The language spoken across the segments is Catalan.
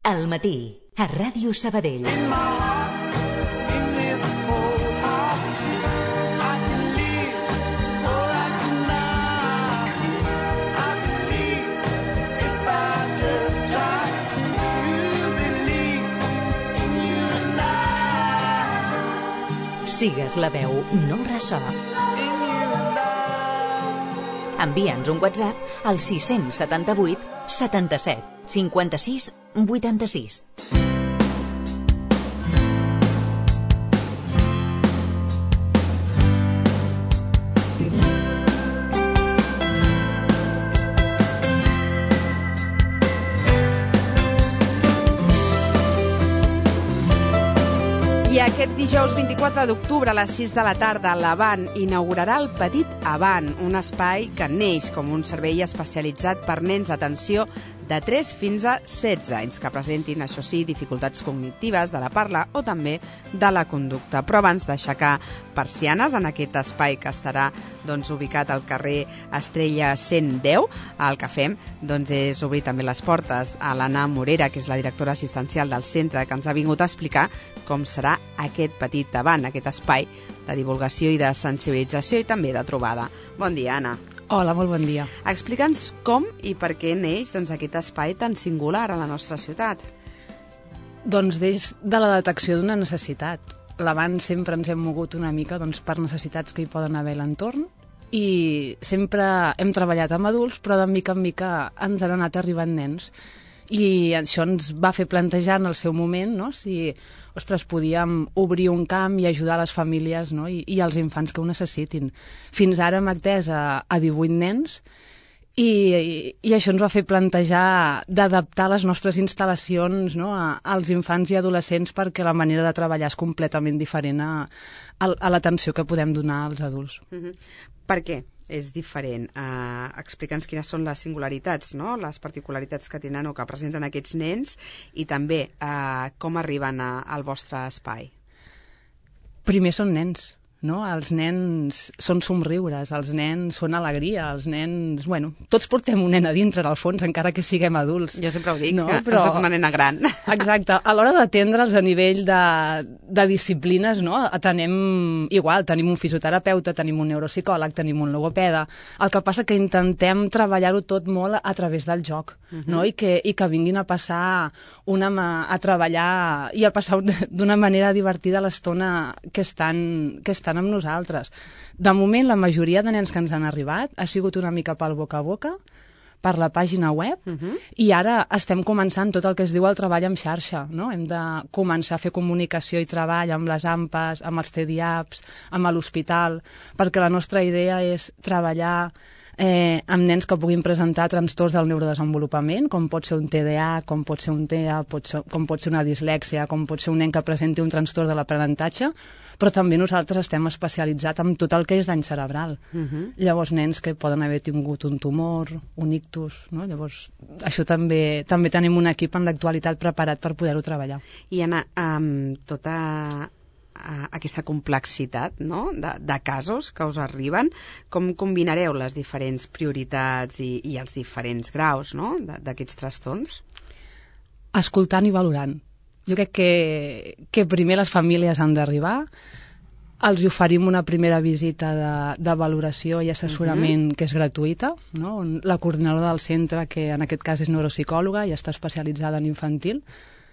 Al matí, a Ràdio Sabadell. Sigues la veu, no ressò. Envia'ns un WhatsApp al 678 77 56 86. I aquest dijous 24 d'octubre a les 6 de la tarda, l'Avant inaugurarà el Petit Avant, un espai que neix com un servei especialitzat per nens d'atenció de 3 fins a 16 anys, que presentin, això sí, dificultats cognitives de la parla o també de la conducta. Però abans d'aixecar persianes en aquest espai que estarà ubicat al carrer Estrella 110, el que fem és obrir també les portes a l'Anna Morera, que és la directora assistencial del centre, que ens ha vingut a explicar com serà aquest Petit Avant, aquest espai de divulgació i de sensibilització i també de trobada. Bon dia, Anna. Hola, molt bon dia. Explica'ns com i per què neix aquest espai tan singular a la nostra ciutat. Doncs des de la detecció d'una necessitat. L'Avant sempre ens hem mogut una mica per necessitats que hi poden haver a l'entorn i sempre hem treballat amb adults, però de mica en mica ens han anat arribant nens. I això ens va fer plantejar en el seu moment si podíem obrir un camp i ajudar les famílies i els infants que ho necessitin. Fins ara hem atès a 18 nens i això ens va fer plantejar d'adaptar les nostres instal·lacions als infants i adolescents perquè la manera de treballar és completament diferent a l'atenció que podem donar als adults. Per què és diferent? Explica'ns quines són les singularitats, les particularitats que tenen o que presenten aquests nens i també com arriben al vostre espai. Primer són nens. Els nens són somriures, els nens són alegria, els nens... tots portem un nen a dintre, al fons, encara que siguem adults. Jo sempre ho dic, però soc una nena gran. Exacte. A l'hora d'atendre'ls a nivell de disciplines, atenem igual, tenim un fisioterapeuta, tenim un neuropsicòleg, tenim un logopeda. El que passa que intentem treballar-ho tot molt a través del joc, i que vinguin a passar a treballar i a passar d'una manera divertida l'estona que estan amb nosaltres. De moment, la majoria de nens que ens han arribat ha sigut una mica pel boca a boca, per la pàgina web, i ara estem començant tot el que es diu el treball en xarxa. Hem de començar a fer comunicació i treball amb les AMPAs, amb els CDIAPs, amb l'hospital, perquè la nostra idea és treballar amb nens que puguin presentar trastorns del neurodesenvolupament, com pot ser un TDA, com pot ser un TEA, com pot ser una dislèxia, com pot ser un nen que presenti un trastorn de l'aprenentatge, però també nosaltres estem especialitzats en tot el que és dany cerebral. Llavors, nens que poden haver tingut un tumor, un ictus, llavors això també tenim un equip en l'actualitat preparat per poder-ho treballar. I Anna, amb tota aquesta complexitat de casos que us arriben, com combinareu les diferents prioritats i els diferents graus d'aquests trastorns? Escoltant i valorant. Jo crec que primer les famílies han d'arribar, els oferim una primera visita de valoració i assessorament que és gratuïta, on la coordinadora del centre, que en aquest cas és neuropsicòloga i està especialitzada en infantil,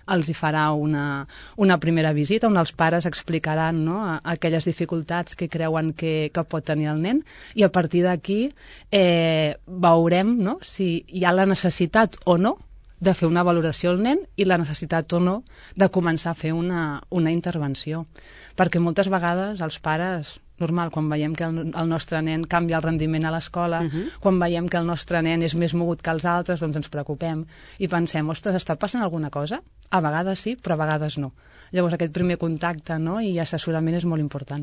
els hi farà una primera visita on els pares explicaran aquelles dificultats que creuen que pot tenir el nen i a partir d'aquí veurem si hi ha la necessitat o no de fer una valoració al nen i la necessitat o no de començar a fer una intervenció. Perquè moltes vegades els pares, normal, quan veiem que el nostre nen canvia el rendiment a l'escola, quan veiem que el nostre nen és més mogut que els altres, doncs ens preocupem i pensem, ostres, està passant alguna cosa? A vegades sí, però a vegades no. Llavors aquest primer contacte i assessorament és molt important.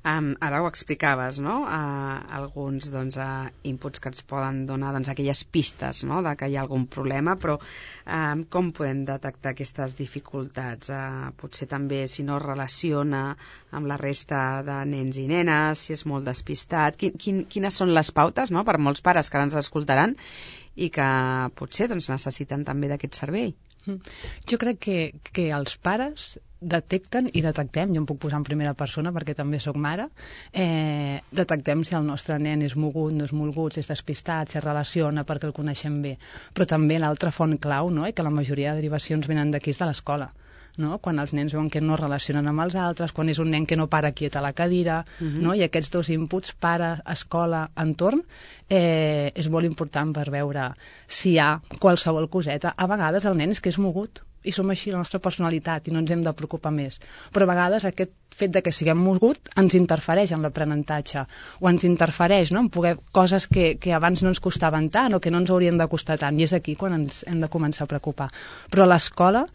Ara ho explicaves, alguns inputs que ens poden donar aquelles pistes de que hi ha algun problema, però com podem detectar aquestes dificultats? Potser també si no es relaciona amb la resta de nens i nenes, si és molt despistat. Quines són les pautes per molts pares que ara ens escoltaran i que potser necessiten també d'aquest servei? Jo crec que els pares detecten i detectem, jo em puc posar en primera persona perquè també sóc mare, detectem si el nostre nen és mogut, no és mogut, si és despistat, si es relaciona perquè el coneixem bé. Però també l'altra font clau, no?, que la majoria de derivacions venen d'aquí, és de l'escola. No? Quan els nens veuen que no es relacionen amb els altres, quan és un nen que no para quiet a la cadira, no? I aquests dos inputs, pare, escola, entorn, és molt important per veure si hi ha qualsevol coseta. A vegades el nen és que és mogut, i som així, la nostra personalitat, i no ens hem de preocupar més. Però a vegades aquest fet de que siguem mogut ens interfereix en l'aprenentatge, o ens interfereix, no?, en poder coses que abans no ens costaven tant o que no ens haurien de costar tant, i és aquí quan ens hem de començar a preocupar. Però a l'escola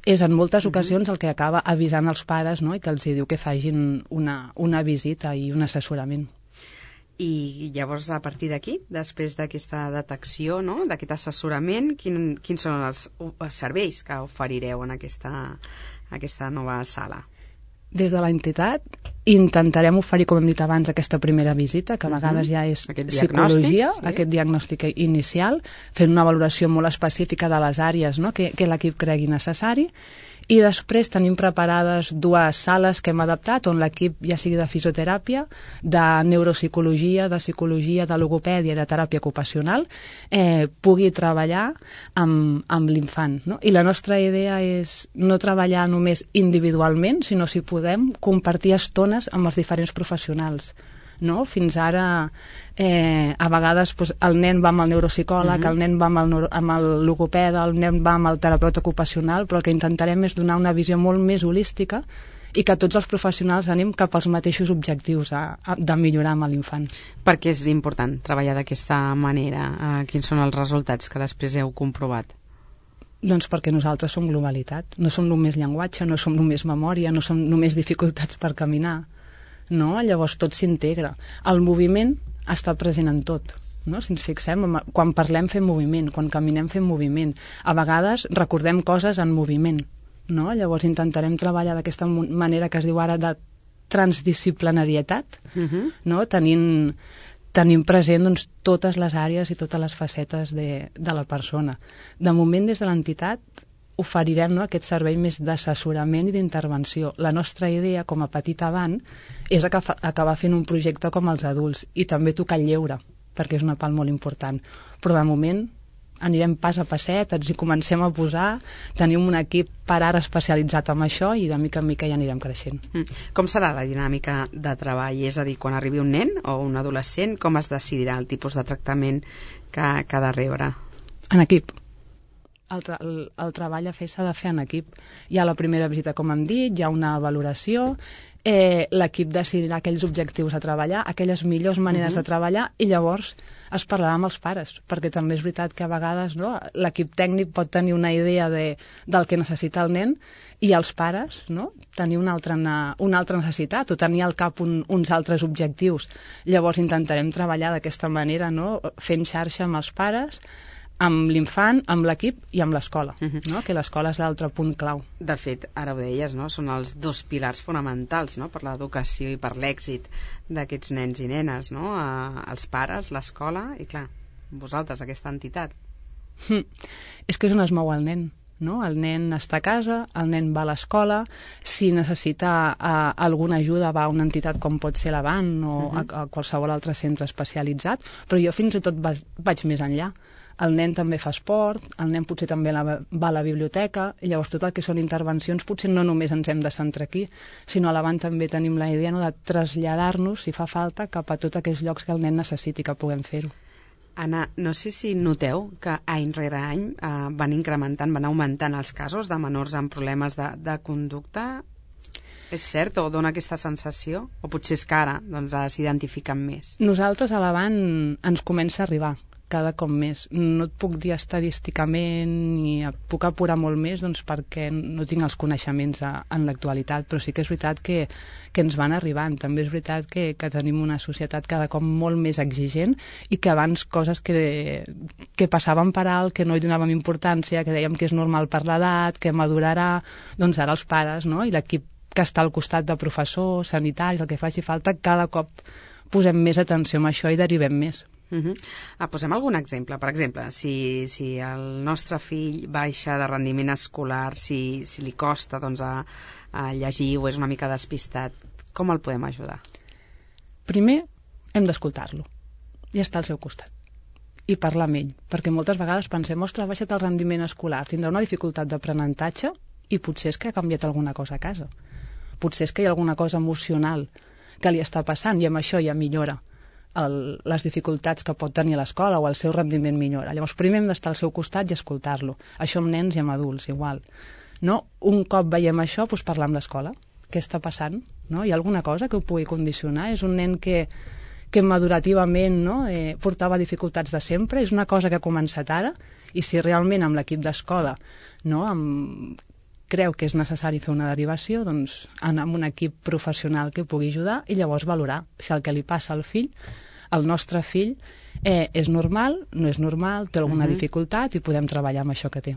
és en moltes ocasions el que acaba avisant els pares, no?, i que els diu que facin una visita i un assessorament. I llavors, a partir d'aquí, després d'aquesta detecció, no?, d'aquest assessorament, quins són els serveis que oferireu en aquesta nova sala? Des de l'entitat intentarem oferir, com hem dit abans, aquesta primera visita, que a vegades ja és psicologia, aquest diagnòstic inicial, fent una valoració molt específica de les àrees, no?, que l'equip cregui necessari, i després tenim preparades 2 sales que hem adaptat on l'equip, ja sigui de fisioteràpia, de neuropsicologia, de psicologia, de logopèdia i de teràpia ocupacional, pugui treballar amb l'infant, no? I la nostra idea és no treballar només individualment, sinó, si podem, compartir estones amb els diferents professionals. No? Fins ara, a vegades, el nen va amb el neuropsicòleg, el nen va amb el logopeda, el nen va amb el terapeuta ocupacional, però el que intentarem és donar una visió molt més holística i que tots els professionals anem cap als mateixos objectius de millorar amb l'infant. Per què és important treballar d'aquesta manera? Quins són els resultats que després heu comprovat? Doncs perquè nosaltres som globalitat, no som només llenguatge, no som només memòria, no som només dificultats per caminar. No? Llavors tot s'integra. El moviment està present en tot. No? Si ens fixem, quan parlem fem moviment, quan caminem fem moviment. A vegades recordem coses en moviment. No? Llavors intentarem treballar d'aquesta manera que es diu ara de transdisciplinarietat, no? Tenim present, doncs, totes les àrees i totes les facetes de la persona. De moment, des de l'entitat, oferirem, no, aquest servei més d'assessorament i d'intervenció. La nostra idea, com a Petit Avant, és acabar fent un projecte com els adults i també tocar el lleure, perquè és una part molt important. Però de moment anirem pas a passet, ens hi comencem a posar, tenim un equip per ara especialitzat en això i de mica en mica ja anirem creixent. Com serà la dinàmica de treball? És a dir, quan arribi un nen o un adolescent, com es decidirà el tipus de tractament que ha de rebre? En equip. El treball a fer s'ha de fer en equip. Hi ha la primera visita, com hem dit, hi ha una valoració, l'equip decidirà aquells objectius a treballar, aquelles millors maneres de treballar, i llavors es parlarà amb els pares, perquè també és veritat que a vegades, no, l'equip tècnic pot tenir una idea del que necessita el nen i els pares, no, tenir una altra necessitat o tenir al cap uns altres objectius. Llavors intentarem treballar d'aquesta manera, no, fent xarxa amb els pares, amb l'infant, amb l'equip i amb l'escola, no? Que l'escola és l'altre punt clau. De fet, ara ho deies, no? Són els 2 pilars fonamentals, no? Per l'educació i per l'èxit d'aquests nens i nenes, no? Els pares, l'escola i, clar, vosaltres, aquesta entitat. És que és on es mou el nen. No? El nen està a casa, el nen va a l'escola, si necessita alguna ajuda va a una entitat com pot ser l'Avant o a qualsevol altre centre especialitzat, però jo fins i tot vaig més enllà. El nen també fa esport, el nen potser també va a la biblioteca, i llavors tot el que són intervencions potser no només ens hem de centrar aquí, sinó a l'Avant també tenim la idea, no, de traslladar-nos, si fa falta, cap a tots aquells llocs que el nen necessiti que puguem fer-ho. Anna, no sé si noteu que any rere any van augmentant els casos de menors amb problemes de conducta. És cert o dona aquesta sensació? O potser és que ara s'identifiquen més? Nosaltres a l'Avant ens comença a arribar cada cop més. No et puc dir estadísticament ni puc apurar molt més, doncs, perquè no tinc els coneixements en l'actualitat, però sí que és veritat que ens van arribant. També és veritat que tenim una societat cada cop molt més exigent i que abans coses que passaven per alt, que no hi donàvem importància, que dèiem que és normal per l'edat, que madurarà, doncs ara els pares, no? I l'equip que està al costat de professors, sanitaris, el que faci falta, cada cop posem més atenció en això i derivem més. Posem algun exemple. Per exemple, si el nostre fill baixa de rendiment escolar, si li costa a llegir o és una mica despistat, com el podem ajudar? Primer, hem d'escoltar-lo i estar al seu costat i parlar amb ell, perquè moltes vegades pensem, ostres, ha baixat el rendiment escolar, tindrà una dificultat d'aprenentatge i potser és que ha canviat alguna cosa a casa. Potser és que hi ha alguna cosa emocional que li està passant i amb això ja millora les dificultats que pot tenir a l'escola o el seu rendiment millora. Llavors, primer hem d'estar al seu costat i escoltar-lo. Això amb nens i amb adults, igual. No? Un cop veiem això, doncs parlar amb l'escola. Què està passant? No? Hi ha alguna cosa que ho pugui condicionar? És un nen que madurativament portava dificultats de sempre, és una cosa que ha començat ara, i si realment amb l'equip d'escola creu que és necessari fer una derivació, doncs anar amb un equip professional que pugui ajudar i llavors valorar si el que li passa al fill, al nostre fill, és normal, no és normal, té alguna dificultat i podem treballar amb això que té.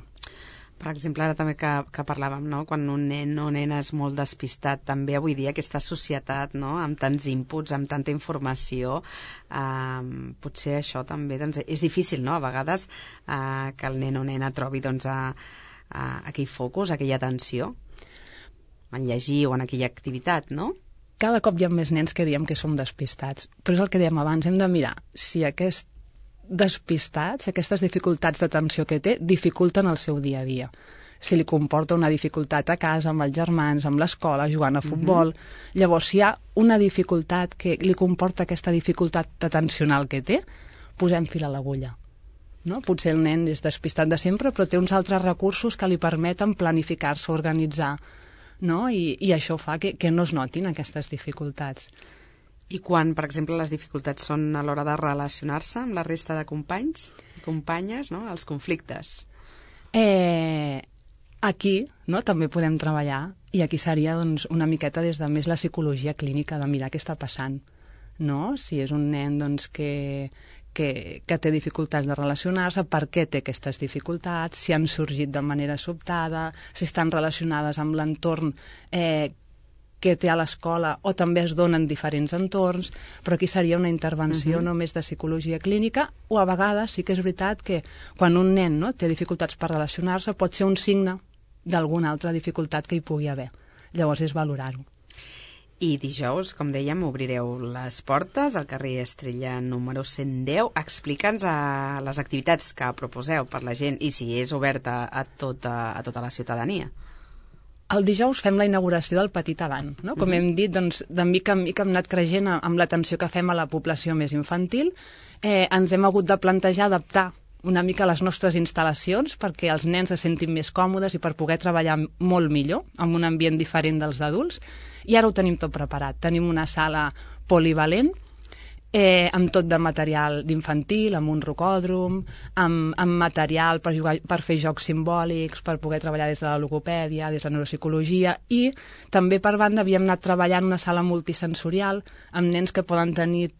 Per exemple, ara també que parlàvem, no? Quan un nen o nena és molt despistat, també avui dia aquesta societat, no? Amb tants inputs, amb tanta informació, potser això també és difícil, no? A vegades que el nen o nena trobi aquell focus, aquella atenció en llegir o en aquella activitat, no? Cada cop hi ha més nens que diem que som despistats, però és el que dèiem abans, hem de mirar si aquest despistats, aquestes dificultats d'atenció que té, dificulten el seu dia a dia. Si li comporta una dificultat a casa, amb els germans, amb l'escola, jugant a futbol. Llavors, si hi ha una dificultat que li comporta aquesta dificultat atencional que té, posem fil a l'agulla. No? Potser el nen és despistat de sempre, però té uns altres recursos que li permeten planificar-se, organitzar, no? I això fa que no es notin aquestes dificultats. I quan, per exemple, les dificultats són a l'hora de relacionar-se amb la resta de companys i companyes, no? Els conflictes? Aquí també podem treballar i aquí seria una miqueta des de més la psicologia clínica de mirar què està passant. No? Si és un nen que té dificultats de relacionar-se, per què té aquestes dificultats, si han sorgit de manera sobtada, si estan relacionades amb l'entorn que té a l'escola o també es donen diferents entorns, però aquí seria una intervenció només de psicologia clínica o a vegades sí que és veritat que quan un nen té dificultats per relacionar-se pot ser un signe d'alguna altra dificultat que hi pugui haver. Llavors és valorar-ho. I dijous, com dèiem, obrireu les portes al carrer Estrella número 110. Explica'ns les activitats que proposeu per la gent i si és oberta a tota la ciutadania. El dijous fem la inauguració del Petit Avant. No? Com hem dit, de mica en mica hem anat creixent amb l'atenció que fem a la població més infantil. Ens hem hagut de plantejar adaptar una mica les nostres instal·lacions perquè els nens se sentin més còmodes i per poder treballar molt millor, amb un ambient diferent dels d'adults. I ara ho tenim tot preparat. Tenim una sala polivalent, amb tot de material d'infantil, amb un rocòdrom, amb material per fer jocs simbòlics, per poder treballar des de la logopèdia, des de la neuropsicologia, i també per banda havíem anat treballant una sala multisensorial amb nens que poden tenir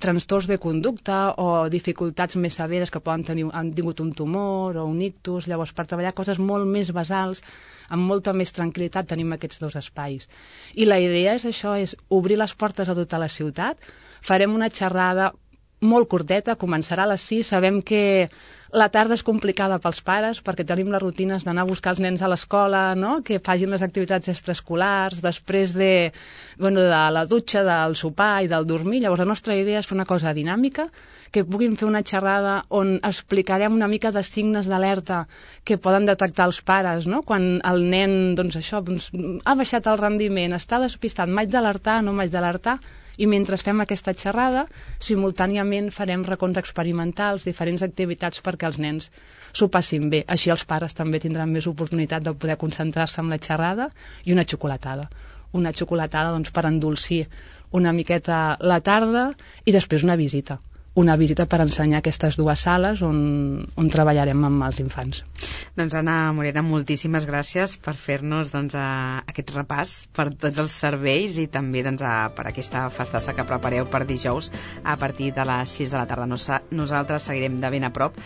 trastorns de conducta o dificultats més severes que han tingut un tumor o un ictus. Llavors, per treballar coses molt més basals, amb molta més tranquil·litat, tenim aquests dos espais. I la idea és això, és obrir les portes a tota la ciutat. Farem una xerrada molt curteta, començarà a les 6. Sabem que la tarda és complicada pels pares perquè tenim les rutines d'anar a buscar els nens a l'escola, no? Que facin les activitats extraescolars, després de la dutxa, del sopar i del dormir. Llavors, la nostra idea és fer una cosa dinàmica, que puguin fer una xerrada on explicarem una mica de signes d'alerta que poden detectar els pares, no? Quan el nen ha baixat el rendiment, està despistat, m'haig d'alertar, no m'haig d'alertar. I mentre fem aquesta xerrada, simultàniament farem racons experimentals, diferents activitats perquè els nens s'ho passin bé. Així els pares també tindran més oportunitat de poder concentrar-se en la xerrada i una xocolatada. Una xocolatada per endolcir una miqueta la tarda i després una visita. Una visita per ensenyar aquestes dues sales on treballarem amb els infants. Doncs Anna Morera, moltíssimes gràcies per fer-nos aquest repàs per tots els serveis i també per aquesta festassa que prepareu per dijous a partir de les 6 de la tarda. Nosaltres seguirem de ben a prop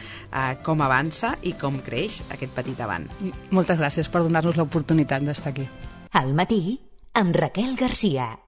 com avança i com creix aquest Petit Avant. Moltes gràcies per donar-nos l'oportunitat d'estar aquí. Al matí, amb Raquel Garcia.